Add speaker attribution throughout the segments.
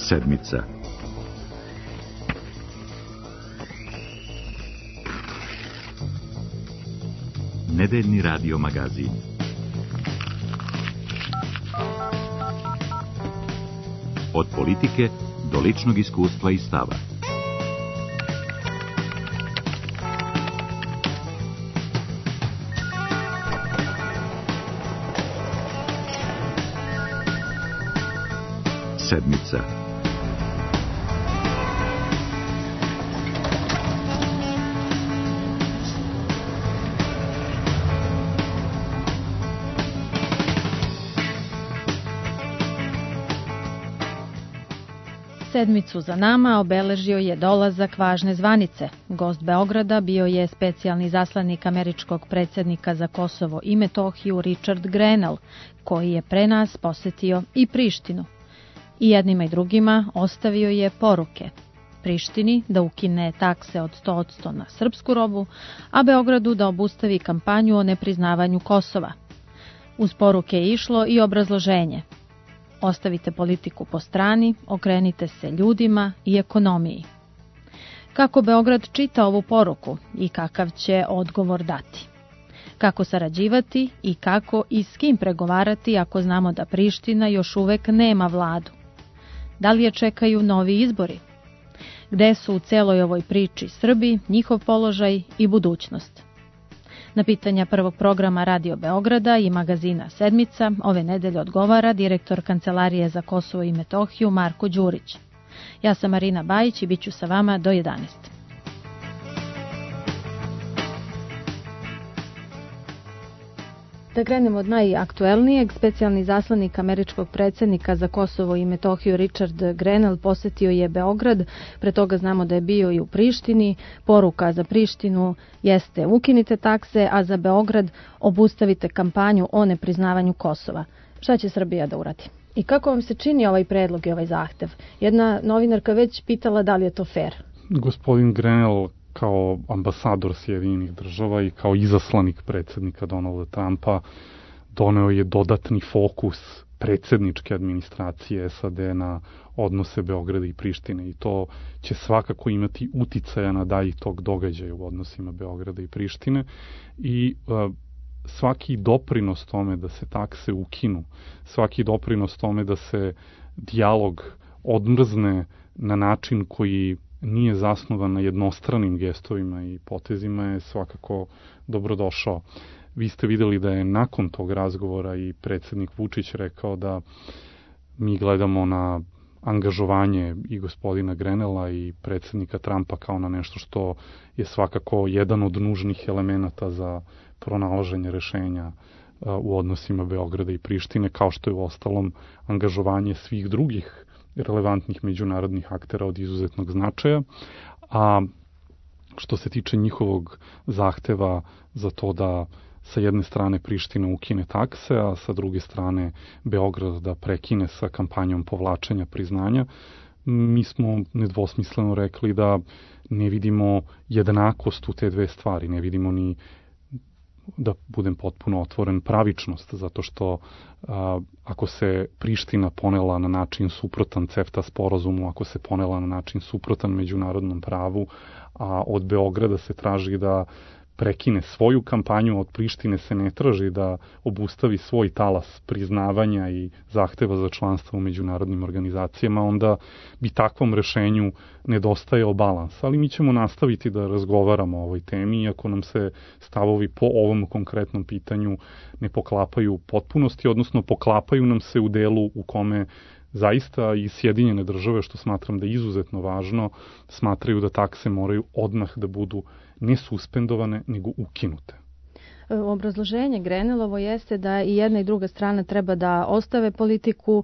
Speaker 1: Sedmica. Nedeljni radio magazin. Od politike do ličnog iskustva i stava. Sedmica.
Speaker 2: Sedmicu za nama obeležio je dolazak važne zvanice. Gost Beograda bio je specijalni izaslanik američkog predsjednika za Kosovo i Metohiju Richard Grenell, koji je pre nas posetio i Prištinu. I jednima i drugima ostavio je poruke. Prištini da ukine takse od 100% na srpsku robu, a Beogradu da obustavi kampanju o nepriznavanju Kosova. Uz poruke je išlo i obrazloženje. Ostavite politiku po strani, okrenite se ljudima i ekonomiji. Kako Beograd čita ovu poruku i kakav će odgovor dati? Kako sarađivati i kako i s kim pregovarati ako znamo da Priština još uvek nema vladu? Da li je čekaju novi izbori? Gde su u celoj ovoj priči Srbi, njihov položaj i budućnost? Na pitanja prvog programa Radio Beograda i magazina Sedmica ove nedelje odgovara direktor Kancelarije za Kosovo i Metohiju Marko Đurić. Ja sam Marina Bajić i bit ću sa vama do 11. Da krenemo od najaktuelnijeg, specijalni izaslanik američkog predsjednika za Kosovo i Metohiju Richard Grenell posetio je Beograd, pre toga znamo da je bio i u Prištini. Poruka za Prištinu jeste ukinite takse, a za Beograd obustavite kampanju o nepriznavanju Kosova. Šta će Srbija da uradi? I kako vam se čini ovaj predlog i ovaj zahtev? Jedna novinarka već pitala da li je to fair.
Speaker 3: Gospodin Grenell kao ambasador Sjedinjenih država i kao izaslanik predsjednika Donalda Trumpa doneo je dodatni fokus predsjedničke administracije SAD na odnose Beograda i Prištine i to će svakako imati uticaja na dalji tog događaja u odnosima Beograda i Prištine i svaki doprinos tome da se takse ukinu, svaki doprinos tome da se dijalog odmrzne na način koji nije zasnovan na jednostranim gestovima i potezima je svakako dobrodošao. Vi ste videli da je nakon tog razgovora i predsjednik Vučić rekao da mi gledamo na angažovanje i gospodina Grenella i predsjednika Trumpa kao na nešto što je svakako jedan od nužnih elemenata za pronalaženje rešenja u odnosima Beograda i Prištine, kao što je u ostalom angažovanje svih drugih relevantnih međunarodnih aktera od izuzetnog značaja, a što se tiče njihovog zahteva za to da sa jedne strane Priština ukine takse, a sa druge strane Beograd da prekine sa kampanjom povlačenja priznanja, mi smo nedvosmisleno rekli da ne vidimo jednakost u te dve stvari, ne vidimo ni, da budem potpuno otvoren, pravičnost, zato što ako se Priština ponela na način suprotan CEFTA sporazumu, ako se ponela na način suprotan međunarodnom pravu, a od Beograda se traži da prekine svoju kampanju, od Prištine se ne traži da obustavi svoj talas priznavanja i zahteva za članstvo u međunarodnim organizacijama, onda bi takvom rešenju nedostajao balans. Ali mi ćemo nastaviti da razgovaramo o ovoj temi, iako nam se stavovi po ovom konkretnom pitanju ne poklapaju u potpunosti, odnosno poklapaju nam se u delu u kome zaista i Sjedinjene države, što smatram da je izuzetno važno, smatraju da takse moraju odmah da budu ne suspendovane, nego ukinute.
Speaker 2: Obrazloženje Grenellovo jeste da i jedna i druga strana treba da ostave politiku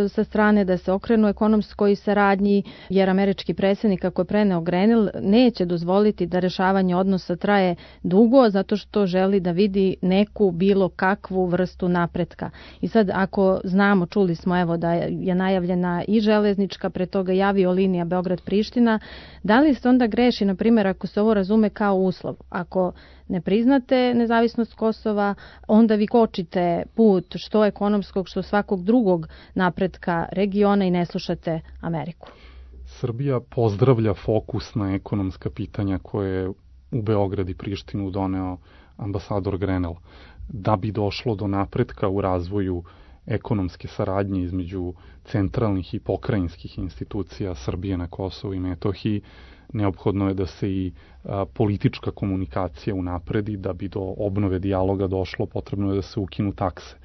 Speaker 2: sa strane, da se okrenu ekonomskoj saradnji, jer američki predsjednik, kako je preneo Grenell, neće dozvoliti da rešavanje odnosa traje dugo, zato što želi da vidi neku bilo kakvu vrstu napretka. I sad, ako znamo, čuli smo evo da je najavljena i železnička, pre toga i aviolinija Beograd-Priština, da li se onda greši, na primjer, ako se ovo razume kao uslov? Ako ne priznate nezavisnost nezavisnost Kosova, onda vi kočite put što ekonomskog, što svakog drugog napretka regiona i ne slušate Ameriku.
Speaker 3: Srbija pozdravlja fokus na ekonomska pitanja koje je u Beograd i Prištinu doneo ambasador Grenell. Da bi došlo do napretka u razvoju ekonomske saradnje između centralnih i pokrajinskih institucija Srbije na Kosovu i Metohiji, neophodno je da se i politička komunikacija unapredi. Da bi do obnove dijaloga došlo, potrebno je da se ukinu takse.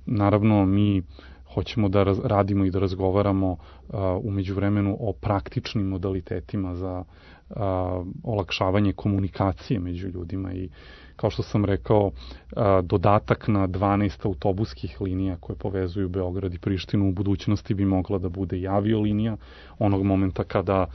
Speaker 3: Naravno, mi hoćemo da radimo i da razgovaramo u međuvremenu o praktičnim modalitetima za olakšavanje komunikacije među ljudima i kao što sam rekao, dodatak na 12 autobuskih linija koje povezuju Beograd i Prištinu u budućnosti bi mogla da bude i aviolinija onog momenta kada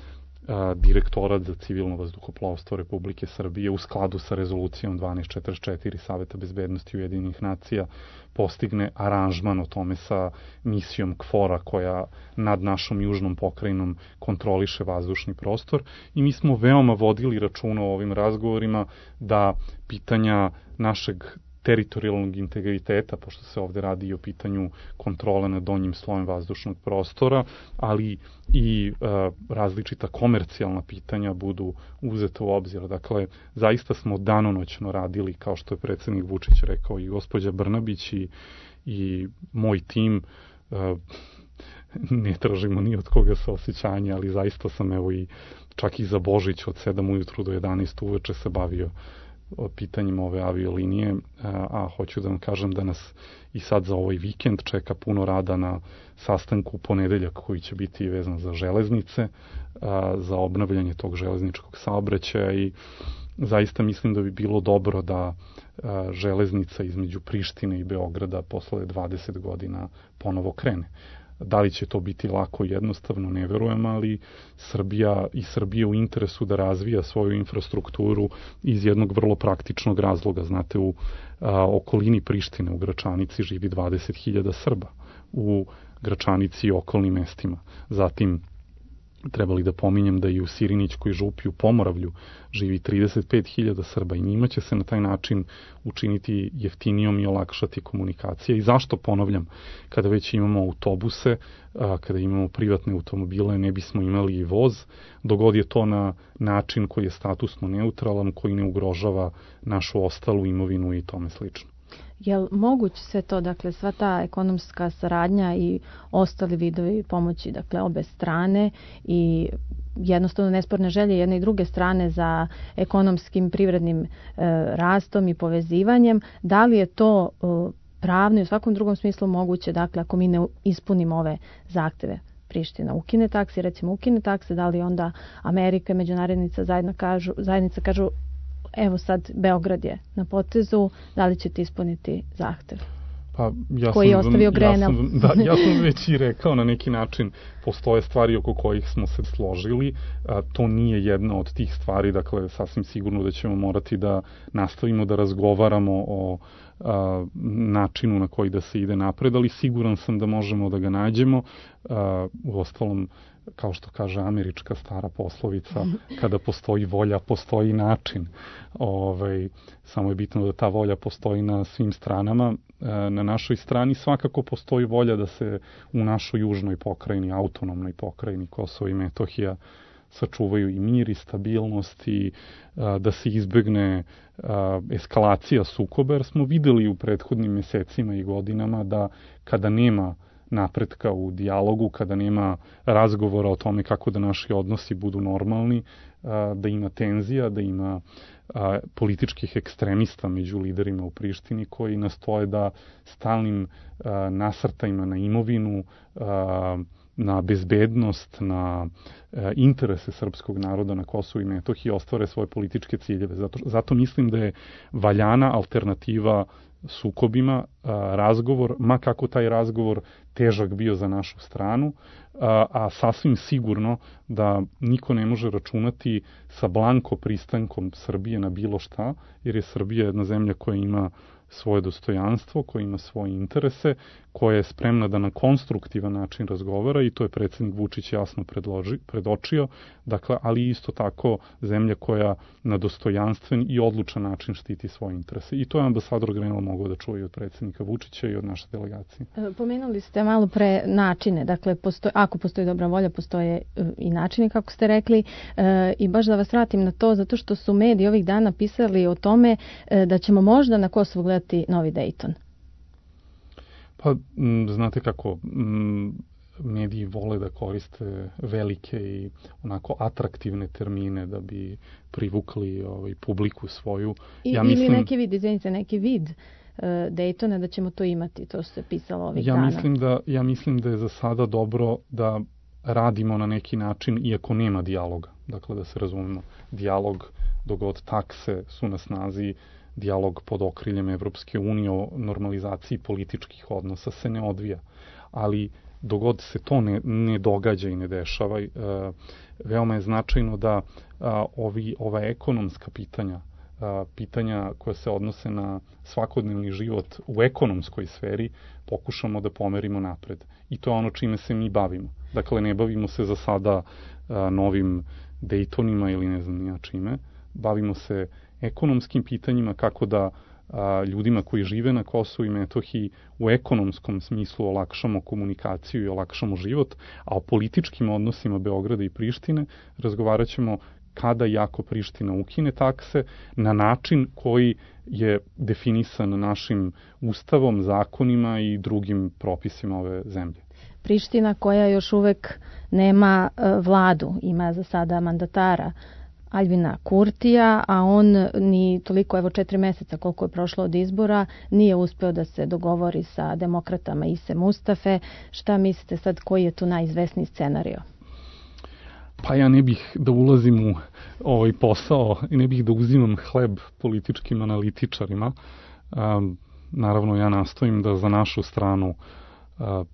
Speaker 3: Direktorat za civilno vazduhoplovstvo Republike Srbije u skladu sa rezolucijom 1244 Saveta bezbednosti Ujedinjenih nacija postigne aranžman o tome sa misijom KFOR-a koja nad našom južnom pokrajinom kontroliše vazdušni prostor i mi smo veoma vodili računa o ovim razgovorima da pitanja našeg teritorijalnog integriteta, pošto se ovde radi i o pitanju kontrole nad donjim slojem vazdušnog prostora, ali i različita komercijalna pitanja budu uzeta u obzir. Dakle, zaista smo danonoćno radili, kao što je predsednik Vučić rekao, i gospođa Brnabić i moj tim, ne tražimo ni od koga saosećanja, ali zaista sam čak i za Božić od 7 ujutru do 11 uveče se bavio o pitanjima ove aviolinije, a hoću da vam kažem da nas i sad za ovaj vikend čeka puno rada na sastanku u ponedeljak koji će biti vezan za železnice, za obnavljanje tog železničkog saobraćaja i zaista mislim da bi bilo dobro da železnica između Prištine i Beograda posle 20 godina ponovo krene. Da li će to biti lako i jednostavno, ne verujem, ali Srbija u interesu da razvija svoju infrastrukturu iz jednog vrlo praktičnog razloga. Znate, u okolini Prištine, u Gračanici, živi 20.000 Srba, u Gračanici i okolnim mestima. Zatim, trebali da pominjem da i u Sirinićkoj župi u Pomoravlju živi 35.000 Srba i njima će se na taj način učiniti jeftinijom i olakšati komunikacija. I zašto, ponavljam, kada već imamo autobuse, kada imamo privatne automobile, ne bismo imali i voz, dogod je to na način koji je statusno neutralan, koji ne ugrožava našu ostalu imovinu i tome slično.
Speaker 2: Je li moguće sve to, dakle, sva ta ekonomska saradnja i ostali vidovi pomoći, dakle, obe strane i jednostavno nesporne želje jedne i druge strane za ekonomskim, privrednim rastom i povezivanjem, da li je to pravno i u svakom drugom smislu moguće, dakle, ako mi ne ispunimo ove zahteve? Priština ukine takse, recimo ukine takse, da li onda Amerika i međunarodnica zajednica kažu evo sad Beograd je na potezu, da li ćete ispuniti zahtev? Koji je ostavio Grenell.
Speaker 3: Ja sam već i rekao, na neki način postoje stvari oko kojih smo se složili. To nije jedna od tih stvari, dakle, sasvim sigurno da ćemo morati da nastavimo da razgovaramo o načinu na koji da se ide napred, ali siguran sam da možemo da ga nađemo. Uostalom, kao što kaže američka stara poslovica, kada postoji volja, postoji način. Samo je bitno da ta volja postoji na svim stranama. Na našoj strani svakako postoji volja da se u našoj južnoj pokrajini, autonomnoj pokrajini Kosovo i Metohija sačuvaju i mir i stabilnost i da se izbegne eskalacija sukoba, jer smo videli u prethodnim mesecima i godinama da kada nema napretka u dijalogu, kada nema razgovora o tome kako da naši odnosi budu normalni, da ima tenzija, da ima političkih ekstremista među liderima u Prištini koji nastoje da stalnim nasrtajima na imovinu, na bezbednost, na interese srpskog naroda na Kosovu i Metohiji ostvare svoje političke ciljeve. Zato mislim da je valjana alternativa sukobima, razgovor, ma kako taj razgovor težak bio za našu stranu, a sasvim sigurno da niko ne može računati sa blanko pristankom Srbije na bilo šta, jer je Srbija jedna zemlja koja ima svoje dostojanstvo, koja ima svoje interese, koja je spremna da na konstruktivan način razgovara i to je predsjednik Vučić jasno predočio, dakle, ali isto tako zemlja koja na dostojanstven i odlučan način štiti svoje interese. I to je ambasador Grenell mogao da čuje od predsjednika Vučića i od naše delegacije.
Speaker 2: Pomenuli ste malo pre načine, dakle, ako postoji dobra volja, postoje i načini, kako ste rekli, i baš da vas vratim na to, zato što su mediji ovih dana pisali o tome da ćemo možda na Kosovu gledati novi Dayton.
Speaker 3: Pa, znate kako, mediji vole da koriste velike i onako atraktivne termine da bi privukli publiku svoju.
Speaker 2: Ili neki vid Daytona da ćemo to imati, to se pisalo ovih dana.
Speaker 3: Ja mislim da je za sada dobro da radimo na neki način, iako nema dijaloga. Dakle, da se razumemo, dijalog dok god takse su na snazi, dijalog pod okriljem Evropske unije o normalizaciji političkih odnosa se ne odvija. Ali dok god se to ne događa i ne dešava, veoma je značajno da ova ekonomska pitanja koja se odnose na svakodnevni život u ekonomskoj sferi pokušamo da pomerimo napred. I to je ono čime se mi bavimo. Dakle, ne bavimo se za sada novim Daytonima ili ne znam nija čime. Bavimo se ekonomskim pitanjima, kako da ljudima koji žive na Kosovu i Metohiji u ekonomskom smislu olakšamo komunikaciju i olakšamo život, a o političkim odnosima Beograda i Prištine razgovarat ćemo kada i ako Priština ukine takse na način koji je definisan našim ustavom, zakonima i drugim propisima ove zemlje.
Speaker 2: Priština koja još uvek nema vladu, ima za sada mandatara Aljbina Kurtija, a on ni toliko, 4 meseca koliko je prošlo od izbora, nije uspeo da se dogovori sa demokratama Ise Mustafe. Šta mislite sad, koji je tu najizvesniji scenario?
Speaker 3: Pa ja ne bih da ulazim u ovaj posao i ne bih da uzimam hleb političkim analitičarima. Naravno, ja nastojim da za našu stranu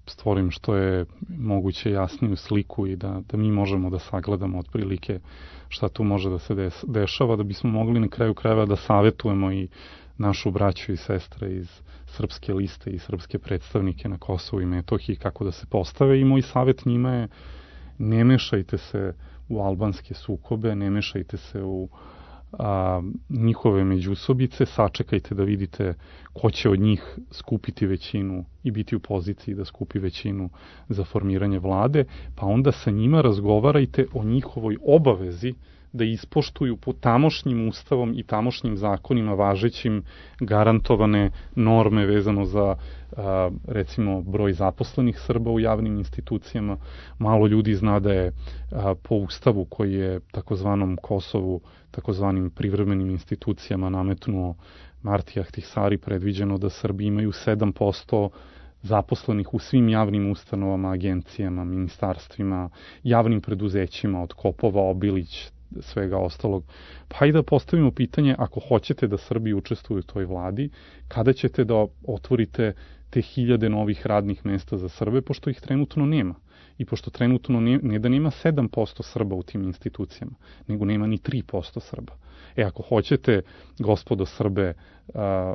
Speaker 3: stvorim što je moguće jasniju sliku i da mi možemo da sagledamo otprilike šta tu može da se dešava, da bismo mogli na kraju krajeva da savetujemo i našu braću i sestre iz Srpske liste i srpske predstavnike na Kosovu i Metohiji kako da se postave. I moj savjet njima je: ne mešajte se u albanske sukobe, ne mešajte se u njihove međusobice, sačekajte da vidite ko će od njih skupiti većinu i biti u poziciji da skupi većinu za formiranje vlade, pa onda sa njima razgovarajte o njihovoj obavezi da ispoštuju po tamošnjim ustavom i tamošnjim zakonima važećim garantovane norme vezano za recimo broj zaposlenih Srba u javnim institucijama. Malo ljudi zna da je po ustavu koji je takozvanom Kosovu, takozvanim privremenim institucijama nametnuo Marti Ahtisari, predviđeno da Srbi imaju 7% zaposlenih u svim javnim ustanovama, agencijama, ministarstvima, javnim preduzećima od Kopova, Obilić, svega ostalog. Pa i da postavimo pitanje, ako hoćete da Srbi učestvuju u toj vladi, kada ćete da otvorite te 1000 novih radnih mesta za Srbe, pošto ih trenutno nema. I pošto trenutno ne da nema 7% Srba u tim institucijama, nego nema ni 3% Srba. Ako hoćete, gospodo Srbe,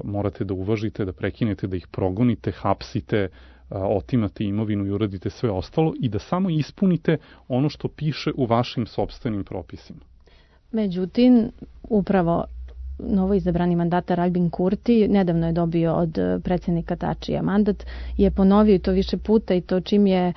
Speaker 3: morate da uvažite, da prekinete, da ih progonite, hapsite, otimate imovinu i uradite sve ostalo i da samo ispunite ono što piše u vašim sopstvenim propisima.
Speaker 2: Međutim, upravo novoizabrani mandatar Aljbin Kurti nedavno je dobio od predsjednika Tačija mandat, je ponovio to više puta i to čim je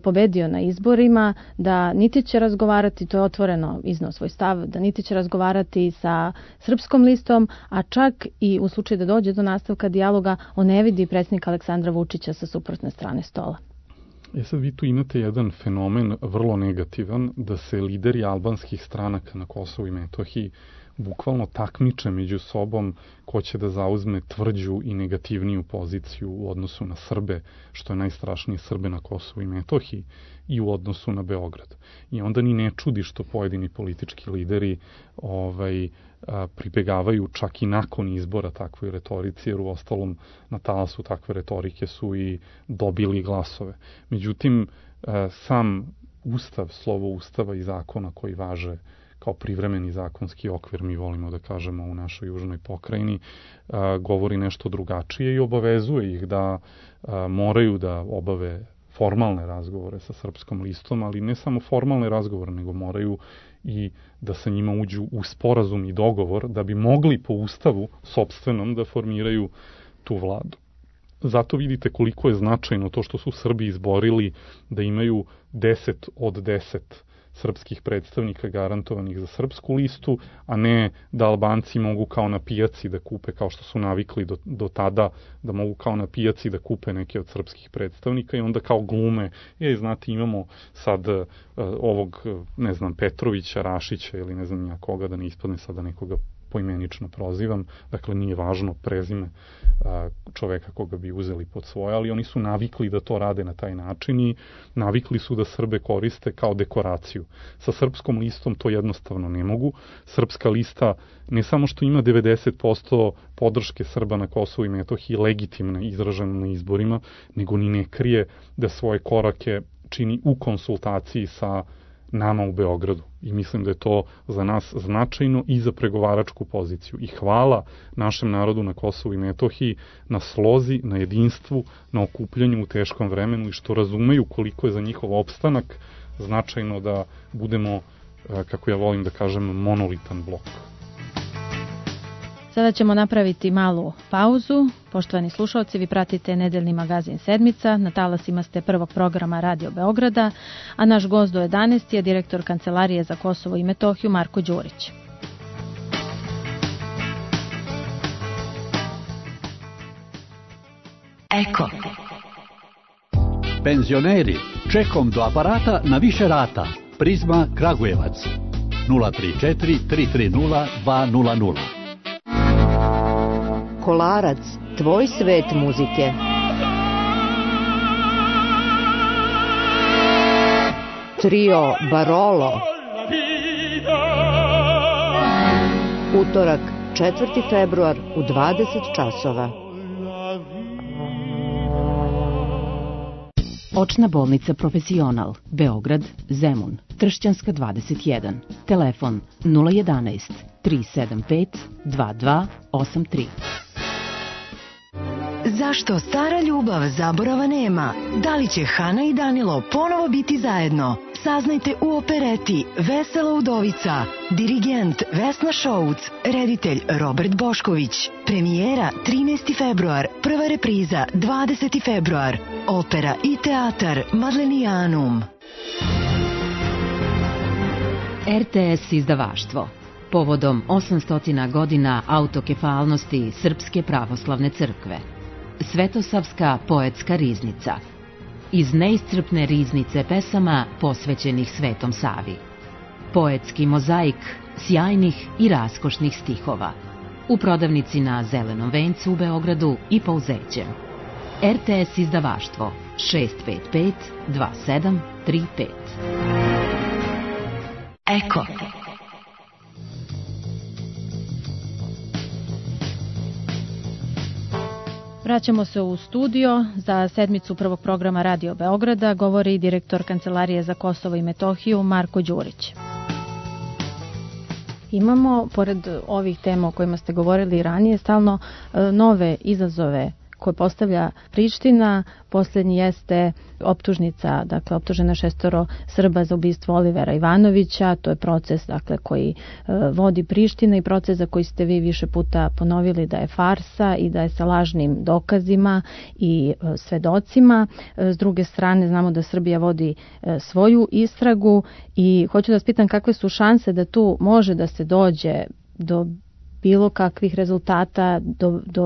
Speaker 2: pobedio na izborima, da niti će razgovarati, to je otvoreno izneo svoj stav, da niti će razgovarati sa Srpskom listom, a čak i u slučaju da dođe do nastavka dijaloga, on ne vidi predsjednika Aleksandra Vučića sa suprotne strane stola.
Speaker 3: Sad vi tu imate jedan fenomen vrlo negativan, da se lideri albanskih stranaka na Kosovu i Metohiji bukvalno takmiče među sobom ko će da zauzme tvrđu i negativniju poziciju u odnosu na Srbe, što je najstrašnije Srbe na Kosovu i Metohiji, i u odnosu na Beograd. I onda ni ne čudi što pojedini politički lideri pribegavaju čak i nakon izbora takvoj retorici, jer u ostalom na talasu takve retorike su i dobili glasove. Međutim, sam Ustav, slovo Ustava i zakona koji važe kao privremeni zakonski okvir, mi volimo da kažemo u našoj južnoj pokrajini, govori nešto drugačije i obavezuje ih da moraju da obave formalne razgovore sa Srpskom listom, ali ne samo formalne razgovore, nego moraju i da sa njima uđu u sporazum i dogovor da bi mogli po ustavu sopstvenom da formiraju tu vladu. Zato vidite koliko je značajno to što su Srbi izborili da imaju 10 od 10 srpskih predstavnika garantovanih za Srpsku listu, a ne da Albanci mogu kao na pijaci da kupe, kao što su navikli do tada, da mogu kao na pijaci da kupe neke od srpskih predstavnika i onda kao glume, znate, imamo sad ovog, ne znam, Petrovića, Rašića ili ne znam ja koga, da ne ispadne sada nekoga poimenično prozivam, dakle nije važno prezime čoveka koga bi uzeli pod svoje, ali oni su navikli da to rade na taj način i navikli su da Srbe koriste kao dekoraciju. Sa Srpskom listom to jednostavno ne mogu. Srpska lista ne samo što ima 90% podrške Srba na Kosovu i Metohiji legitimne izražene na izborima, nego ni ne krije da svoje korake čini u konsultaciji sa nama u Beogradu. I mislim da je to za nas značajno i za pregovaračku poziciju. I hvala našem narodu na Kosovu i Metohiji na slozi, na jedinstvu, na okupljanju u teškom vremenu i što razumeju koliko je za njihov opstanak značajno da budemo, kako ja volim da kažem, monolitan blok.
Speaker 2: Sada ćemo napraviti malu pauzu. Poštovani slušalci, vi pratite nedeljni magazin Sedmica. Na talasima ste prvog programa Radio Beograda, a naš gost do 11 je direktor Kancelarije za Kosovo i Metohiju Marko Đurić.
Speaker 4: Eko. Penzioneri, čekom do aparata na više rata. Prizma Kragujevac 034 330 200.
Speaker 5: Kolarac, tvoj svet muzike. Trio Barolo. Utorak, 4. februar u 20 časova.
Speaker 6: Očna bolnica Profesional, Beograd, Zemun, Tršćanska 21, telefon 011 375 2283.
Speaker 7: Zašto stara ljubav zaborava nema? Da li će Hana i Danilo ponovo biti zajedno? Saznajte u opereti Vesela udovica. Dirigent Vesna Šouc, reditelj Robert Bošković. Premijera 13. februar, prva repriza 20. februar. Opera i teatar Madlenijanum.
Speaker 6: RTS izdavaštvo. Povodom 800 godina autokefalnosti Srpske pravoslavne crkve. Svetosavska poetska riznica. Iz neiscrpne riznice pesama posvećenih Svetom Savi. Poetski mozaik sjajnih i raskošnih stihova. U prodavnici na Zelenom vencu u Beogradu i Pouzećem. RTS izdavaštvo 655 2735.
Speaker 7: Eko.
Speaker 2: Vraćamo se u studio. Za sedmicu prvog programa Radio Beograda govori direktor Kancelarije za Kosovo i Metohiju Marko Đurić. Imamo, pored ovih tema o kojima ste govorili ranije, stalno nove izazove koje postavlja Priština. Poslednji jeste optužnica, dakle optužena 6 Srba za ubistvo Olivera Ivanovića. To je proces, dakle, koji vodi Priština i proces za koji ste vi više puta ponovili da je farsa i da je sa lažnim dokazima i svedocima. S druge strane, znamo da Srbija vodi svoju istragu i hoću da vas pitam kakve su šanse da tu može da se dođe do bilo kakvih rezultata,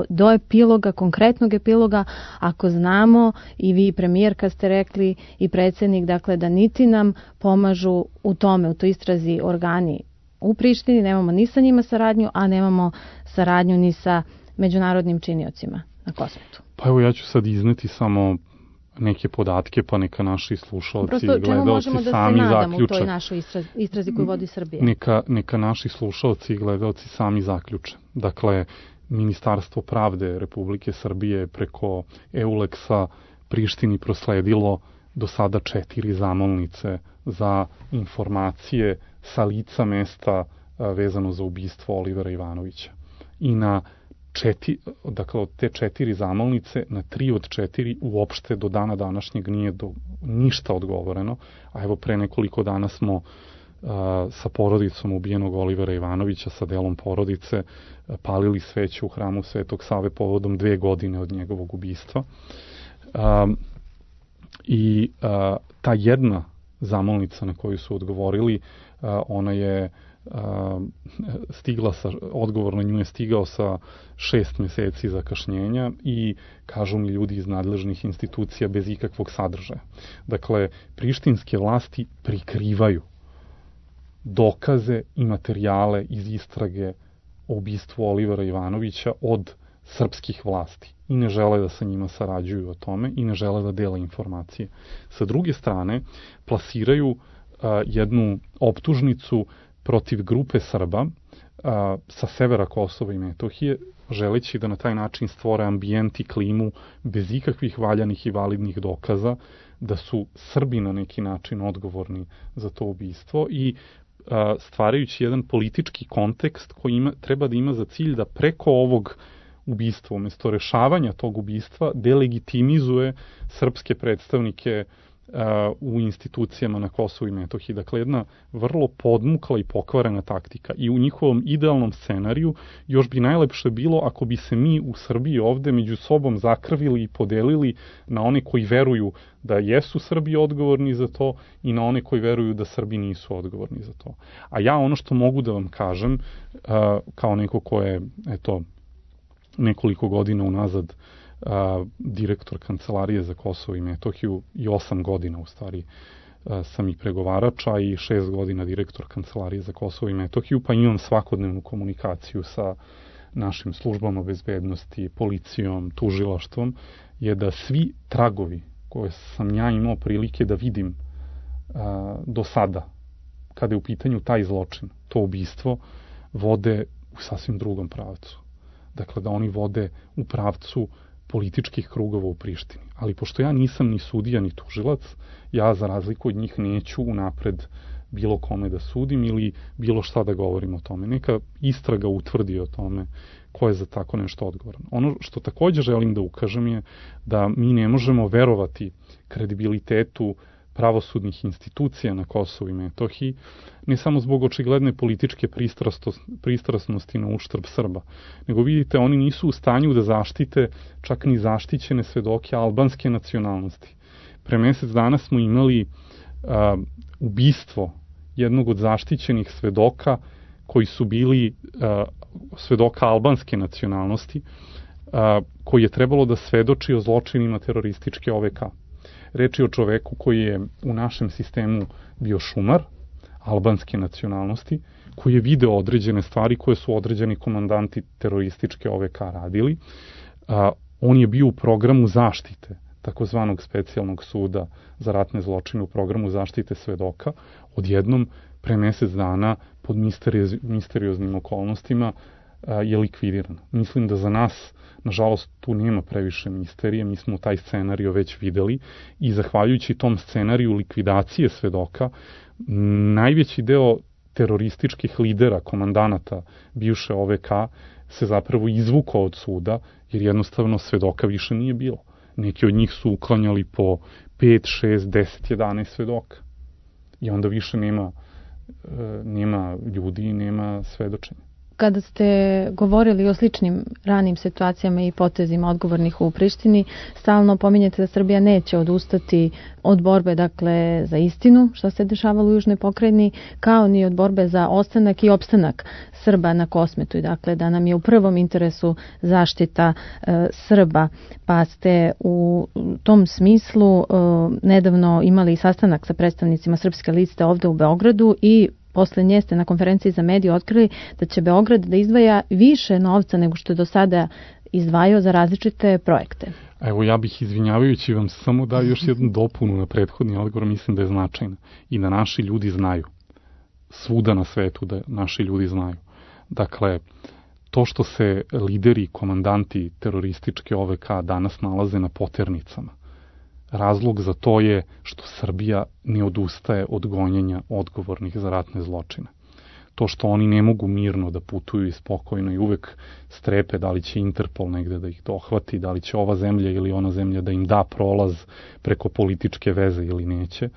Speaker 2: do epiloga, konkretnog epiloga, ako znamo, i vi premijerka ste rekli i predsjednik, dakle, da niti nam pomažu u tome, u toj istrazi organi u Prištini, nemamo ni sa njima saradnju, a nemamo saradnju ni sa međunarodnim činiocima na Kosmetu.
Speaker 3: Pa evo, ja ću sad izneti samo neke podatke, pa neka naši slušalci i gledalci sami zaključe.
Speaker 2: U toj našoj istrazi koju vodi Srbija?
Speaker 3: Neka naši slušalci i gledalci sami zaključe. Dakle, Ministarstvo pravde Republike Srbije preko EULEX-a Prištini prosledilo do sada 4 zamolnice za informacije sa lica mesta vezano za ubistvo Olivera Ivanovića. I na dakle, od te 4 zamolnice, na 3 od 4 uopšte do dana današnjeg nije ništa odgovoreno. A evo pre nekoliko dana smo sa porodicom ubijenog Olivera Ivanovića, sa delom porodice, palili sveću u hramu Svetog Save povodom 2 godine od njegovog ubistva. Ta jedna zamolnica na koju su odgovorili, ona je odgovor na nju je stigao sa 6 meseci zakašnjenja i kažu mi ljudi iz nadležnih institucija bez ikakvog sadržaja. Dakle, prištinske vlasti prikrivaju dokaze i materijale iz istrage o ubistvu Olivera Ivanovića od srpskih vlasti i ne žele da sa njima sarađuju o tome i ne žele da dele informacije. Sa druge strane, plasiraju jednu optužnicu protiv grupe Srba sa severa Kosova i Metohije, želeći da na taj način stvore ambijent i klimu bez ikakvih valjanih i validnih dokaza da su Srbi na neki način odgovorni za to ubistvo i stvarajući jedan politički kontekst koji treba da ima za cilj da preko ovog ubistva, umjesto rešavanja tog ubistva, delegitimizuje srpske predstavnike u institucijama na Kosovu i Metohiji. Dakle, jedna vrlo podmukla i pokvarena taktika. I u njihovom idealnom scenariju još bi najlepše bilo ako bi se mi u Srbiji ovde među sobom zakrvili i podelili na one koji veruju da jesu Srbi odgovorni za to i na one koji veruju da Srbi nisu odgovorni za to. A ja ono što mogu da vam kažem, kao neko ko je, nekoliko godina unazad direktor Kancelarije za Kosovo i Metohiju i 8 godina u stvari sam i pregovarača i 6 godina direktor Kancelarije za Kosovo i Metohiju, pa imam svakodnevnu komunikaciju sa našim službama bezbednosti, policijom, tužilaštvom, je da svi tragovi koje sam ja imao prilike da vidim do sada, kada je u pitanju taj zločin, to ubistvo, vode u sasvim drugom pravcu. Dakle, da oni vode u pravcu političkih krugova u Prištini. Ali pošto ja nisam ni sudija ni tužilac, ja za razliku od njih neću unapred bilo kome da sudim ili bilo šta da govorim o tome. Neka istraga utvrdi o tome ko je za tako nešto odgovoran. Ono što također želim da ukažem je da mi ne možemo verovati kredibilitetu pravosudnih institucija na Kosovu i Metohiji, ne samo zbog očigledne političke pristrasnosti na uštrb Srba, nego vidite, oni nisu u stanju da zaštite čak ni zaštićene svedoke albanske nacionalnosti. Pre mesec dana smo imali ubistvo jednog od zaštićenih svedoka koji su bili svedoka albanske nacionalnosti, koji je trebalo da svedoči o zločinima terorističke OVK. Reč je o čoveku koji je u našem sistemu bio šumar, albanske nacionalnosti, koji je video određene stvari koje su određeni komandanti terorističke OVK radili. On je bio u programu zaštite takozvanog specijalnog suda za ratne zločine, u programu zaštite svedoka. Odjednom, pre mesec dana, pod misterioznim okolnostima, je likvidiran. Mislim da za nas, nažalost, tu nema previše misterije, mi smo taj scenario već videli i zahvaljujući tom scenariju likvidacije svedoka, najveći deo terorističkih lidera, komandanata bivše OVK se zapravo izvukao od suda, jer jednostavno svedoka više nije bilo. Neki od njih su uklanjali po 5, 6, 10, 11 svedoka. I onda više nema ljudi i nema svedočenja.
Speaker 2: Kada ste govorili o sličnim ranim situacijama i potezima odgovornih u Prištini, stalno pominjete da Srbija neće odustati od borbe, dakle, za istinu, što se dešavalo u Južnoj pokrajini, kao ni od borbe za ostanak i opstanak Srba na Kosmetu. I dakle, da nam je u prvom interesu zaštita Srba, pa ste u tom smislu nedavno imali sastanak sa predstavnicima Srpske liste ovde u Beogradu i posle nje ste na konferenciji za medije otkrili da će Beograd da izdvaja više novca nego što je do sada izdvajao za različite projekte.
Speaker 3: Evo, ja bih, izvinjavajući vam, samo dao još jednu dopunu na prethodni odgovor, mislim da je značajna i da naši ljudi znaju, svuda na svetu da naši ljudi znaju. Dakle, to što se lideri, komandanti terorističke OVK danas nalaze na poternicama, razlog za to je što Srbija ne odustaje od gonjenja odgovornih za ratne zločine. To što oni ne mogu mirno da putuju i spokojno i uvek strepe da li će Interpol negde da ih dohvati, da li će ova zemlja ili ona zemlja da im da prolaz preko političke veze ili neće.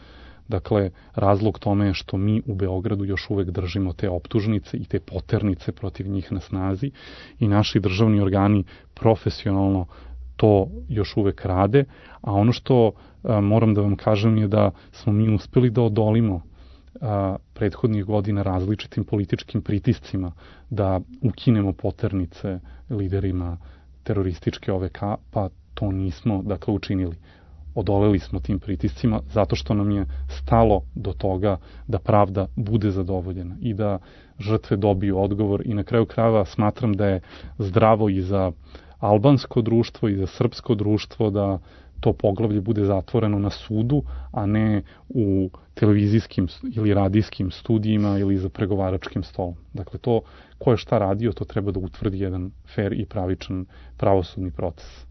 Speaker 3: Dakle, razlog tome je što mi u Beogradu još uvek držimo te optužnice i te poternice protiv njih na snazi i naši državni organi profesionalno to još uvek rade, a ono što moram da vam kažem je da smo mi uspeli da odolimo prethodnih godina različitim političkim pritiscima, da ukinemo poternice liderima terorističke OVK, pa to nismo, dakle, učinili. Odoleli smo tim pritiscima zato što nam je stalo do toga da pravda bude zadovoljena i da žrtve dobiju odgovor i na kraju krajeva smatram da je zdravo i za albansko društvo i za srpsko društvo da to poglavlje bude zatvoreno na sudu, a ne u televizijskim ili radijskim studijima ili za pregovaračkim stolom. Dakle, to ko je šta radio, to treba da utvrdi jedan fair i pravičan pravosudni proces.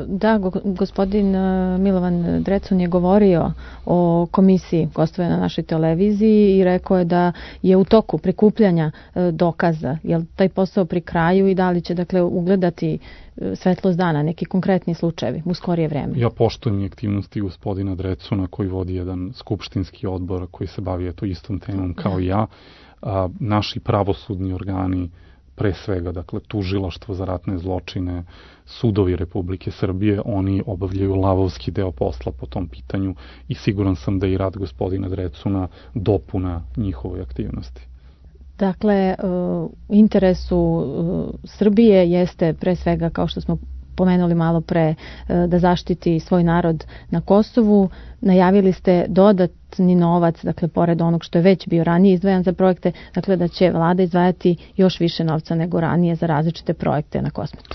Speaker 2: Da, gospodin Milovan Drecun je govorio o komisiji gostovanja na našoj televiziji i rekao je da je u toku prikupljanja dokaza. Je li taj posao pri kraju i da li će, dakle, ugledati svetlost dana, neki konkretni slučajevi u skorije vreme?
Speaker 3: Ja poštujem i aktivnosti gospodina Drecuna koji vodi jedan skupštinski odbor koji se bavi istom temom kao i ja. Naši pravosudni organi, pre svega, dakle, tužilaštvo za ratne zločine, sudovi Republike Srbije, oni obavljaju lavovski deo posla po tom pitanju i siguran sam da i rad gospodina Drecuna dopuna njihovoj aktivnosti.
Speaker 2: Dakle, u interesu Srbije jeste pre svega, kao što smo pomenuli malo pre, da zaštiti svoj narod na Kosovu. Najavili ste dodatni novac, dakle, pored onog što je već bio ranije izdvajan za projekte, dakle, da će vlada izdvajati još više novca nego ranije za različite projekte na kosmosu.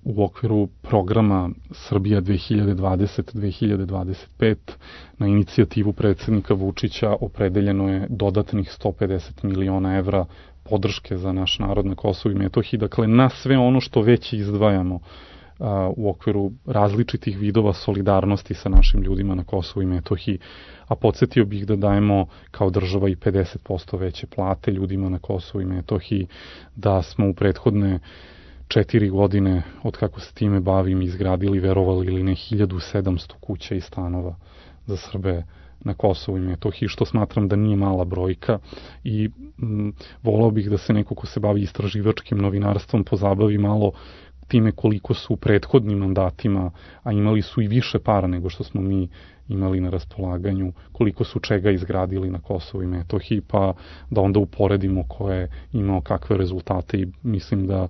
Speaker 3: U okviru programa Srbija 2020-2025 na inicijativu predsjednika Vučića opredeljeno je dodatnih 150 miliona evra podrške za naš narod na Kosovu i Metohiji, dakle, na sve ono što već izdvajamo u okviru različitih vidova solidarnosti sa našim ljudima na Kosovu i Metohiji, a podsjetio bih da dajemo kao država i 50% veće plate ljudima na Kosovu i Metohiji, da smo u prethodne 4 godine, od kako se time bavim, izgradili, verovali ili ne, 1700 kuća i stanova za Srbe na Kosovu i Metohiji, što smatram da nije mala brojka i volao bih da se neko ko se bavi istraživačkim novinarstvom pozabavi malo time koliko su u prethodnim mandatima, a imali su i više para nego što smo mi imali na raspolaganju, koliko su čega izgradili na Kosovu i Metohiji, pa da onda uporedimo ko je imao kakve rezultate i mislim da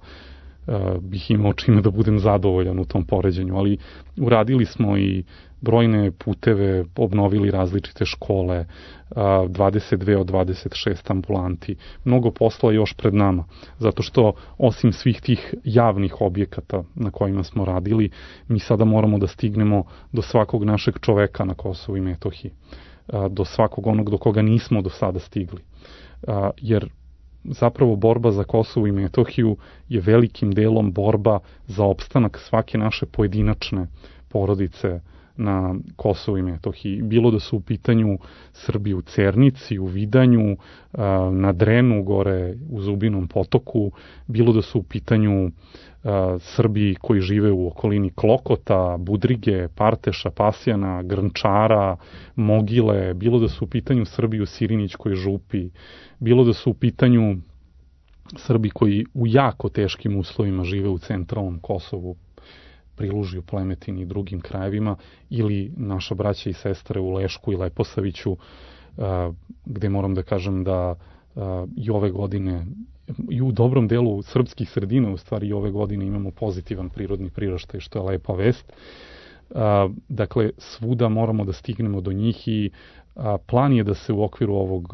Speaker 3: bih imao čime da budem zadovoljan u tom poređenju, ali uradili smo i brojne puteve, obnovili različite škole, 22 od 26 ambulanti. Mnogo posla još pred nama, zato što osim svih tih javnih objekata na kojima smo radili, mi sada moramo da stignemo do svakog našeg čoveka na Kosovu i Metohiji, do svakog onog do koga nismo do sada stigli. Jer zapravo borba za Kosovo i Metohiju je velikim delom borba za opstanak svake naše pojedinačne porodice na Kosovu i Metohiji. Bilo da su u pitanju Srbi u Cernici, u Vidanju, na Drenu, gore u Zubinom potoku, bilo da su u pitanju Srbi koji žive u okolini Klokota, Budrige, Parteša, Pasjana, Grnčara, Mogile, bilo da su u pitanju Srbi u Sirinićkoj župi, bilo da su u pitanju Srbi koji u jako teškim uslovima žive u centralnom Kosovu, Prilužju, Plemetini i drugim krajevima, ili naša braća i sestre u Lešku i Leposaviću, gde moram da kažem da i ove godine i u dobrom delu srpskih sredina u stvari i ove godine imamo pozitivan prirodni priraštaj, što je lepa vest. Dakle, svuda moramo da stignemo do njih i plan je da se u okviru ovog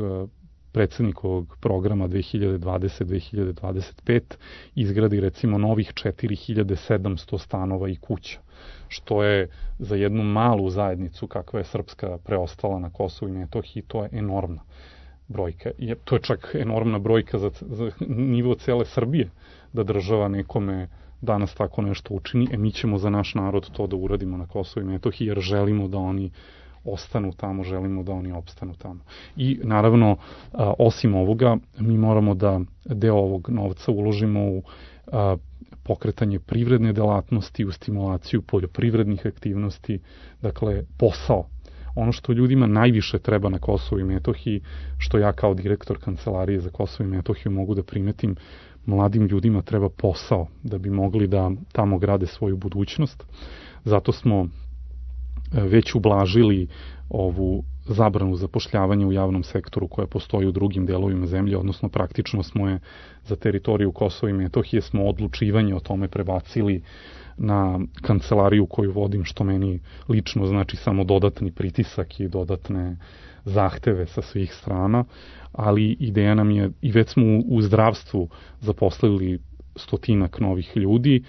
Speaker 3: predsjednikovog programa 2020-2025 izgradi recimo novih 4700 stanova i kuća, što je za jednu malu zajednicu kakva je srpska preostala na Kosovu i Metohiji, to je enormna brojka. To je čak enormna brojka za nivo cele Srbije, da država nekome danas tako nešto učini, mi ćemo za naš narod to da uradimo na Kosovu i Metohiji, jer želimo da oni ostanu tamo, želimo da oni opstanu tamo. I naravno, osim ovoga, mi moramo da deo ovog novca uložimo u pokretanje privredne delatnosti, u stimulaciju poljoprivrednih aktivnosti, dakle posao. Ono što ljudima najviše treba na Kosovu i Metohiji, što ja kao direktor Kancelarije za Kosovo i Metohiju mogu da primetim, mladim ljudima treba posao da bi mogli da tamo grade svoju budućnost. Zato smo već ublažili ovu zabranu zapošljavanja u javnom sektoru koja postoji u drugim delovima zemlje, odnosno praktično smo je za teritoriju Kosova i Metohije smo odlučivanje o tome prebacili na kancelariju koju vodim, što meni lično znači samo dodatni pritisak i dodatne zahteve sa svih strana, ali ideja nam je, i već smo u zdravstvu zaposlili 100 novih ljudi,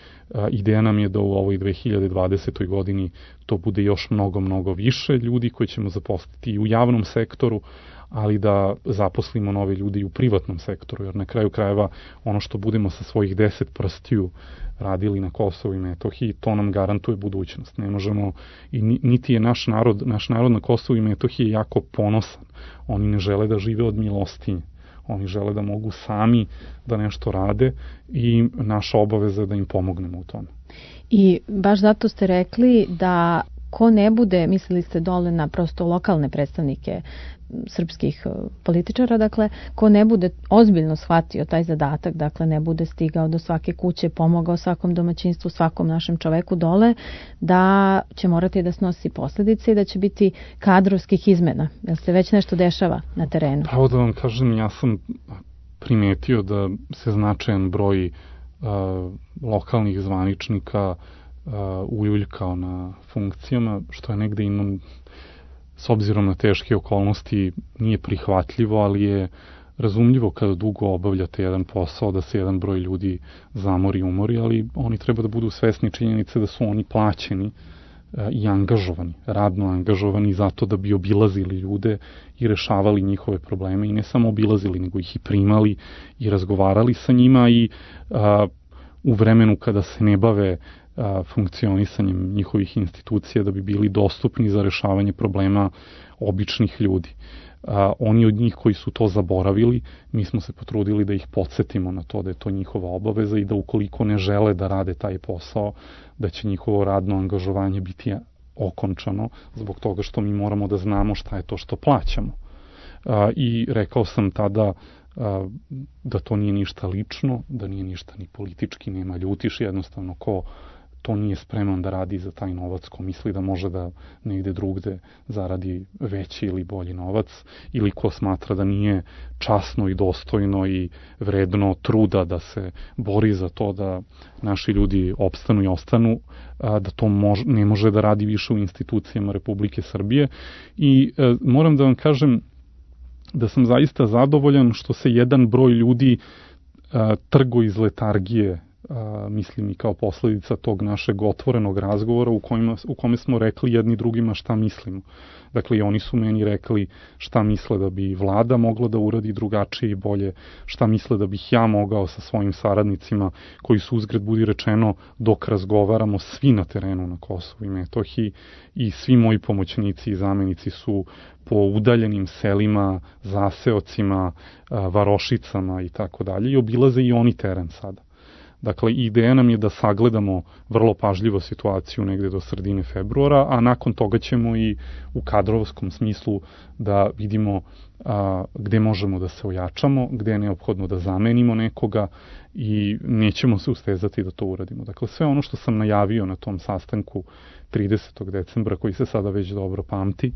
Speaker 3: ideja nam je da u ovoj 2020. godini to bude još mnogo više ljudi koji ćemo zaposliti i u javnom sektoru, ali da zaposlimo nove ljudi i u privatnom sektoru, jer na kraju krajeva ono što budemo sa svojih 10 prstiju radili na Kosovu i Metohiji, to nam garantuje budućnost. Ne možemo, i niti je naš narod na Kosovu i Metohiji jako ponosan. Oni ne žele da žive od milostinje. Oni žele da mogu sami da nešto rade i naša obaveza je da im pomognemo u tome.
Speaker 2: I baš zato ste rekli da ko ne bude, mislili ste dole na prosto lokalne predstavnike srpskih političara, dakle, ko ne bude ozbiljno shvatio taj zadatak, dakle, ne bude stigao do svake kuće, pomogao svakom domaćinstvu, svakom našem čoveku dole, da će morati da snosi posljedice i da će biti kadrovskih izmena. Jel se već nešto dešava na terenu?
Speaker 3: Pravo da vam kažem, ja sam primetio da se značajan broj lokalnih zvaničnika uljuljkao na funkcijama, što je negde s obzirom na teške okolnosti nije prihvatljivo, ali je razumljivo kada dugo obavljate jedan posao da se jedan broj ljudi zamori i umori, ali oni treba da budu svesni činjenice da su oni plaćeni i angažovani, radno angažovani zato da bi obilazili ljude i rešavali njihove probleme i ne samo obilazili, nego ih i primali i razgovarali sa njima i u vremenu kada se ne bave funkcionisanjem njihovih institucija da bi bili dostupni za rešavanje problema običnih ljudi. Oni od njih koji su to zaboravili, mi smo se potrudili da ih podsjetimo na to da je to njihova obaveza i da ukoliko ne žele da rade taj posao, da će njihovo radno angažovanje biti okončano zbog toga što mi moramo da znamo šta je to što plaćamo. I rekao sam tada da to nije ništa lično, da nije ništa ni politički, nema ljutiš, jednostavno ko to nije spreman da radi za taj novac, ko misli da može da negde drugde zaradi veći ili bolji novac, ili ko smatra da nije časno i dostojno i vredno truda da se bori za to da naši ljudi opstanu i ostanu, da to ne može da radi više u institucijama Republike Srbije. I moram da vam kažem da sam zaista zadovoljan što se jedan broj ljudi trgo iz letargije, mislim i kao posledica tog našeg otvorenog razgovora u kome smo rekli jedni drugima šta mislimo. Dakle, i oni su meni rekli šta misle da bi vlada mogla da uradi drugačije i bolje, šta misle da bih ja mogao sa svojim saradnicima, koji su uzgred budi rečeno dok razgovaramo svi na terenu na Kosovu i Metohiji i svi moji pomoćnici i zamenici su po udaljenim selima, zaseocima, varošicama i tako dalje i obilaze i oni teren sada. Dakle, ideja nam je da sagledamo vrlo pažljivo situaciju negde do sredine februara, a nakon toga ćemo i u kadrovskom smislu da vidimo gde možemo da se ojačamo, gde je neophodno da zamenimo nekoga i nećemo se ustezati da to uradimo. Dakle, sve ono što sam najavio na tom sastanku 30. decembra, koji se sada već dobro pamti,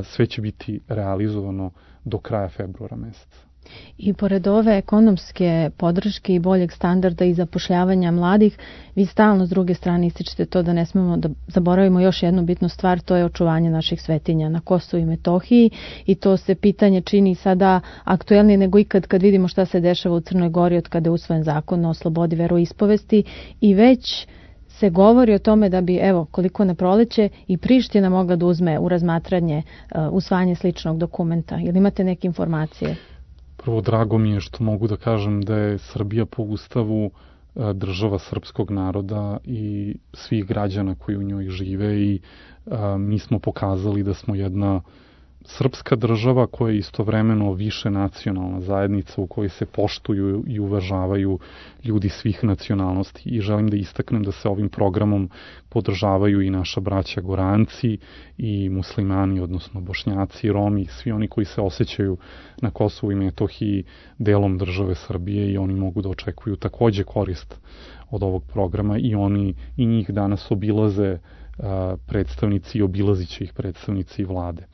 Speaker 3: sve će biti realizovano do kraja februara meseca.
Speaker 2: I pored ove ekonomske podrške i boljeg standarda i zapošljavanja mladih, vi stalno s druge strane ističete to da ne smemo da zaboravimo još jednu bitnu stvar, to je očuvanje naših svetinja na Kosovu i Metohiji i to se pitanje čini sada aktuelnije nego ikad kad vidimo šta se dešava u Crnoj Gori od kada je usvojen zakon o slobodi veroispovesti i već se govori o tome da bi, evo, koliko na proleće i Priština mogla da uzme u razmatranje usvajanje sličnog dokumenta. Ili imate neke informacije?
Speaker 3: Prvo, drago mi je što mogu da kažem da je Srbija po Ustavu država srpskog naroda i svih građana koji u njoj žive i mi smo pokazali da smo jedna srpska država koja je istovremeno više nacionalna zajednica u kojoj se poštuju i uvažavaju ljudi svih nacionalnosti i želim da istaknem da se ovim programom podržavaju i naša braća Goranci i muslimani, odnosno Bošnjaci, Romi, svi oni koji se osjećaju na Kosovu i Metohiji delom države Srbije i oni mogu da očekuju takođe korist od ovog programa i oni i njih danas obilaze predstavnici i obilazit će ih predstavnici vlade.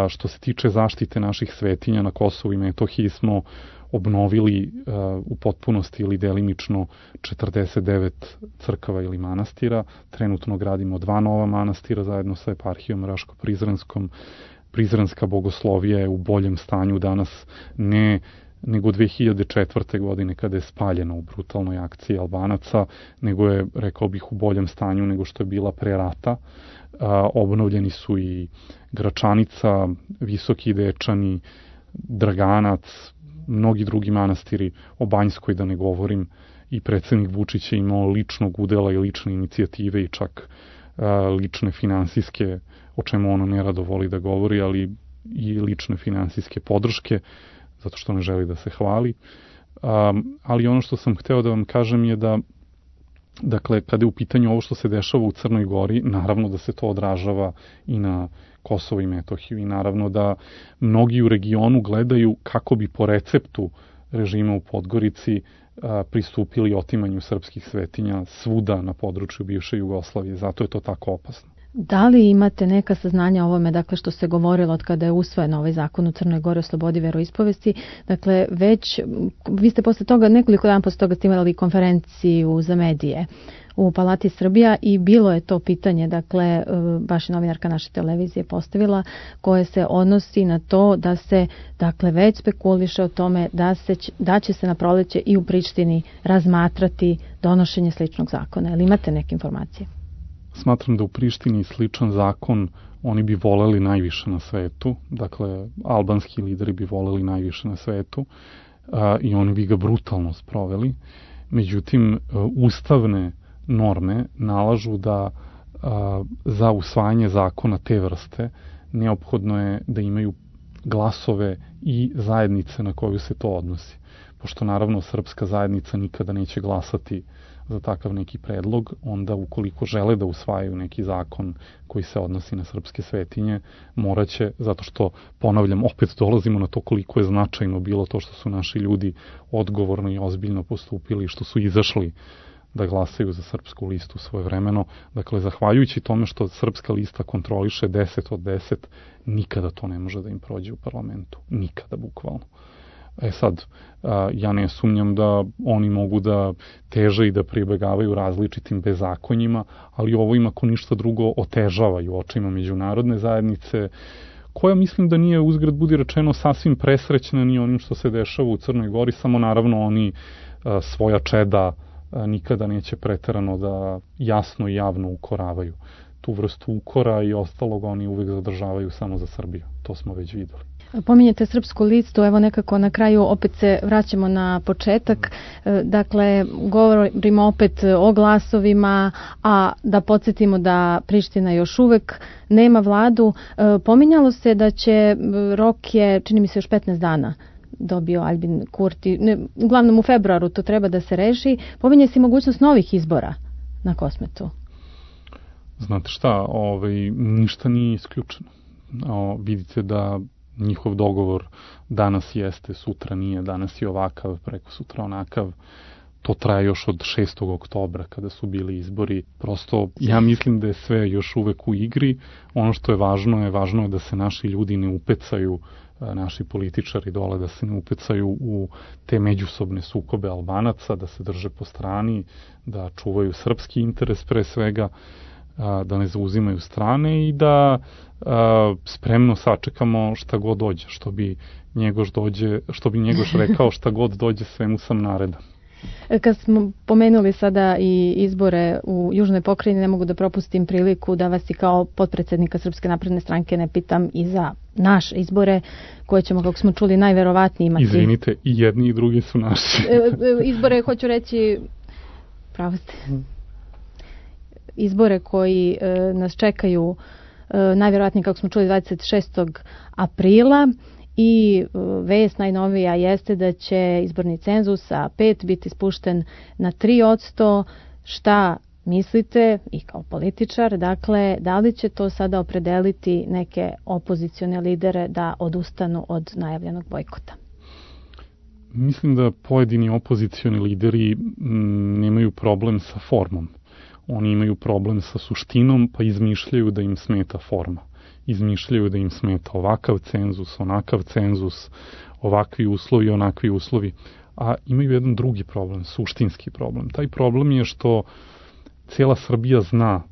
Speaker 3: Što se tiče zaštite naših svetinja na Kosovu i Metohiji smo obnovili u potpunosti ili delimično 49 crkava ili manastira. Trenutno gradimo 2 nova manastira zajedno sa eparhijom Raško-Prizrenskom. Prizrenska bogoslovija je u boljem stanju danas nego 2004. godine kada je spaljena u brutalnoj akciji Albanaca, nego je, rekao bih, u boljem stanju nego što je bila pre rata. Obnovljeni su i Gračanica, Visoki Dečani, Draganac, mnogi drugi manastiri, o Banjskoj da ne govorim, i predsednik Vučić je imao ličnog udela i lične inicijative i čak lične finansijske, o čemu ono nerado voli da govori, ali i lične finansijske podrške, zato što ne želi da se hvali. Ali ono što sam hteo da vam kažem je da, dakle, kada je u pitanju ovo što se dešava u Crnoj Gori, naravno da se to odražava i na Kosovo i Metohiju i naravno da mnogi u regionu gledaju kako bi po receptu režima u Podgorici pristupili otimanju srpskih svetinja svuda na području bivše Jugoslavije. Zato je to tako opasno.
Speaker 2: Da li imate neka saznanja o ovome, dakle, što se govorilo od kada je usvojen ovaj zakon u Crnoj Gori o slobodi veroispovesti? Dakle, već, vi ste posle toga, nekoliko dana posle toga ste imali konferenciju za medije u Palati Srbija i bilo je to pitanje, dakle, baš novinarka naše televizije postavila, koje se odnosi na to da se, dakle, već spekuliše o tome da će se na proleće i u Prištini razmatrati donošenje sličnog zakona. Ili imate neke informacije?
Speaker 3: Smatram da u Prištini sličan zakon oni bi voleli najviše na svetu, dakle, albanski lideri bi voleli najviše na svetu i oni bi ga brutalno sproveli. Međutim, ustavne norme nalažu da za usvajanje zakona te vrste neophodno je da imaju glasove i zajednice na koju se to odnosi. Pošto naravno srpska zajednica nikada neće glasati za takav neki predlog, onda ukoliko žele da usvajaju neki zakon koji se odnosi na srpske svetinje, moraće, zato što, ponavljam, opet dolazimo na to koliko je značajno bilo to što su naši ljudi odgovorno i ozbiljno postupili, što su izašli da glasaju za srpsku listu svojevremeno. Dakle, zahvaljujući tome što srpska lista kontroliše 10 od 10, nikada to ne može da im prođe u parlamentu. Nikada, bukvalno. Sad, ja ne sumnjam da oni mogu da teže i da pribegavaju različitim bezakonjima, ali ovo im ako ništa drugo otežavaju očima međunarodne zajednice, koja mislim da nije, uzgred budi rečeno, sasvim presrećna ni onim što se dešava u Crnoj Gori, samo naravno oni svoja čeda nikada neće preterano da jasno i javno ukoravaju. Tu vrstu ukora i ostalog oni uvek zadržavaju samo za Srbiju. To smo već videli.
Speaker 2: Pominjete srpsku listu, evo nekako na kraju opet se vraćamo na početak. Dakle, govorimo opet o glasovima, a da podsjetimo da Priština još uvek nema vladu. Pominjalo se da će, rok je, čini mi se, još 15 dana dobio Albin Kurti. Uglavnom u februaru to treba da se reši. Pominje se mogućnost novih izbora na Kosmetu.
Speaker 3: Znate šta, ništa nije isključeno. Vidite da njihov dogovor danas jeste, sutra nije, danas je ovakav, preko sutra onakav. To traje još od 6. oktobra kada su bili izbori. Prosto ja mislim da je sve još uvek u igri. Ono što je važno je da se naši ljudi ne upecaju, naši političari dole, da se ne upecaju u te međusobne sukobe Albanaca, da se drže po strani, da čuvaju srpski interes pre svega, da ne zauzimaju strane i da spremno sačekamo šta god dođe, što bi Njegoš rekao, šta god dođe, svemu sam naredan.
Speaker 2: Kad smo pomenuli sada i izbore u Južnoj pokrajini, ne mogu da propustim priliku da vas i kao potpredsednika Srpske napredne stranke ne pitam i za naše izbore, koje ćemo, kako smo čuli, najverovatnije imati.
Speaker 3: Izvinite, i jedni i drugi su naši.
Speaker 2: Izbore, hoću reći, pravo ste. Izbore koji nas čekaju najvjerojatnije, kako smo čuli, 26. aprila i vest najnovija jeste da će izborni cenzus sa 5 biti spušten na 3%. Šta mislite i kao političar, dakle, da li će to sada opredeliti neke opozicione lidere da odustanu od najavljenog bojkota?
Speaker 3: Mislim da pojedini opozicioni lideri nemaju problem sa formom. Oni imaju problem sa suštinom, pa izmišljaju da im smeta forma. Izmišljaju da im smeta ovakav cenzus, onakav cenzus, ovakvi uslovi, onakvi uslovi. A imaju jedan drugi problem, suštinski problem. Taj problem je što cijela Srbija zna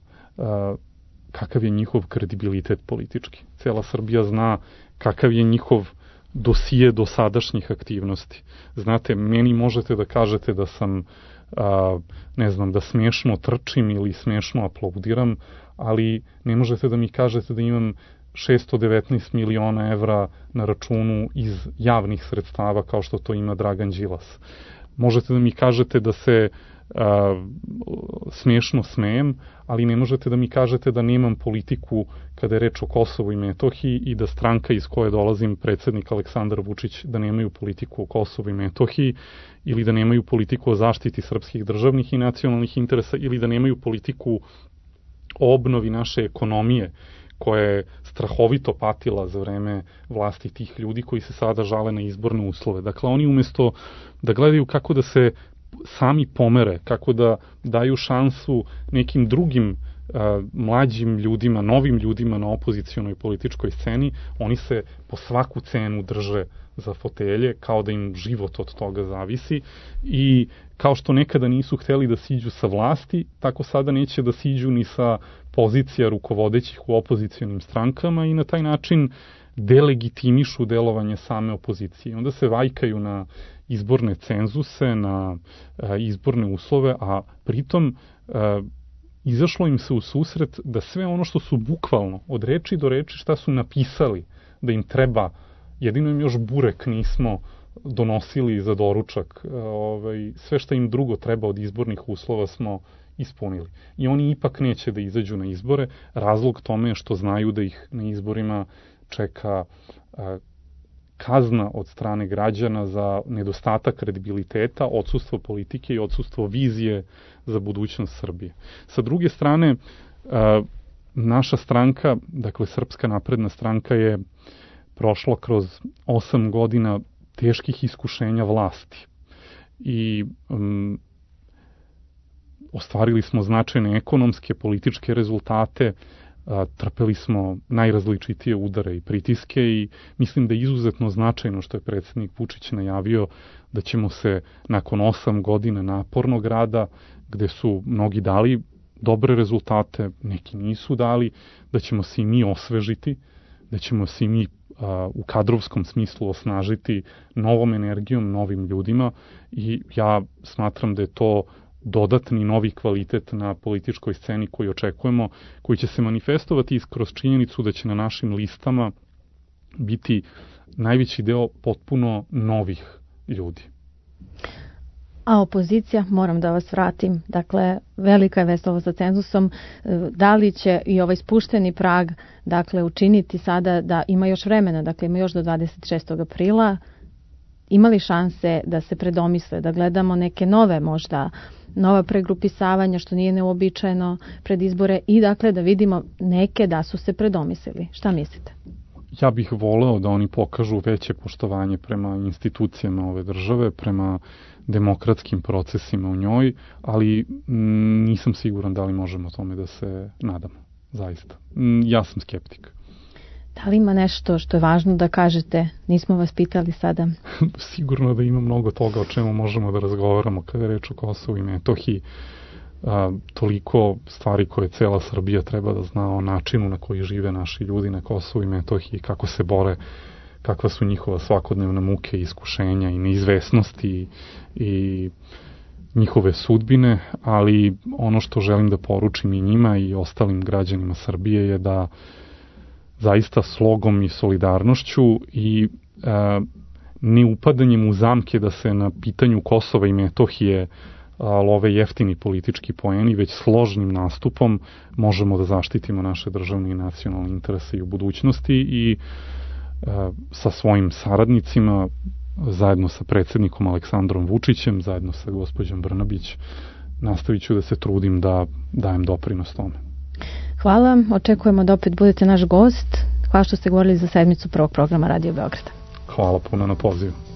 Speaker 3: kakav je njihov kredibilitet politički. Cijela Srbija zna kakav je njihov dosije dosadašnjih aktivnosti. Znate, meni možete da kažete da sam, ne znam, da smiješno trčim ili smiješno aplaudiram, ali ne možete da mi kažete da imam 619 miliona evra na računu iz javnih sredstava kao što to ima Dragan Đilas. Možete da mi kažete da se smiješno smejem, ali ne možete da mi kažete da nemam politiku kada je reč o Kosovu i Metohiji i da stranka iz koje dolazim, predsjednik Aleksandar Vučić, da nemaju politiku o Kosovu i Metohiji ili da nemaju politiku o zaštiti srpskih državnih i nacionalnih interesa ili da nemaju politiku o obnovi naše ekonomije koja je strahovito patila za vreme vlasti tih ljudi koji se sada žale na izborne uslove. Dakle, oni umjesto da gledaju kako da se sami pomere, kako da daju šansu nekim drugim mlađim ljudima, novim ljudima na opozicionoj političkoj sceni, oni se po svaku cenu drže za fotelje, kao da im život od toga zavisi i kao što nekada nisu hteli da siđu sa vlasti, tako sada neće da siđu ni sa pozicija rukovodećih u opozicionim strankama i na taj način delegitimišu delovanje same opozicije. Onda se vajkaju na izborne cenzuse, na izborne uslove, a pritom izašlo im se u susret da sve ono što su bukvalno od reči do reči šta su napisali da im treba, jedino im još burek nismo donosili za doručak, sve što im drugo treba od izbornih uslova smo ispunili. I oni ipak neće da izađu na izbore. Razlog tome je što znaju da ih na izborima čeka kazna od strane građana za nedostatak kredibiliteta, odsustvo politike i odsustvo vizije za budućnost Srbije. Sa druge strane, naša stranka, dakle Srpska napredna stranka, je prošla kroz 8 godina teških iskušenja vlasti i ostvarili smo značajne ekonomske, političke rezultate, trpeli smo najrazličitije udare i pritiske i mislim da je izuzetno značajno što je predsjednik Vučić najavio da ćemo se nakon 8 godina napornog rada, gde su mnogi dali dobre rezultate, neki nisu dali, da ćemo se i mi osvežiti, da ćemo se i mi u kadrovskom smislu osnažiti novom energijom, novim ljudima i ja smatram da je to dodatni novi kvalitet na političkoj sceni koji očekujemo, koji će se manifestovati kroz činjenicu da će na našim listama biti najveći deo potpuno novih ljudi.
Speaker 2: A opozicija, moram da vas vratim, dakle, velika je vest ovo sa cenzusom, da li će i ovaj spušteni prag, dakle, učiniti sada da ima još vremena, dakle, ima još do 26. aprila, imali šanse da se predomisle, da gledamo neke nove možda, nova pregrupisavanja, što nije neuobičajeno pred izbore i dakle da vidimo neke da su se predomislili. Šta mislite?
Speaker 3: Ja bih voleo da oni pokažu veće poštovanje prema institucijama ove države, prema demokratskim procesima u njoj, ali nisam siguran da li možemo tome da se nadamo. Zaista. Ja sam skeptik.
Speaker 2: Da li ima nešto što je važno da kažete? Nismo vas pitali sada.
Speaker 3: Sigurno da ima mnogo toga o čemu možemo da razgovaramo kada je reč o Kosovu i Metohiji. Toliko stvari koje cela Srbija treba da zna o načinu na koji žive naši ljudi na Kosovu i Metohiji, kako se bore, kakva su njihova svakodnevna muke, iskušenja i neizvesnosti i njihove sudbine, ali ono što želim da poručim i njima i ostalim građanima Srbije je da zaista slogom i solidarnošću i ne upadanjem u zamke da se na pitanju Kosova i Metohije love jeftini politički poeni, već složnim nastupom možemo da zaštitimo naše državne i nacionalne interese i u budućnosti i sa svojim saradnicima, zajedno sa predsjednikom Aleksandrom Vučićem, zajedno sa gospođom Brnabić, nastavit ću da se trudim da dajem doprinos tome.
Speaker 2: Hvala, očekujemo da opet budete naš gost. Hvala što ste govorili za sedmicu prvog programa Radio Beograda.
Speaker 3: Hvala puno na pozivu.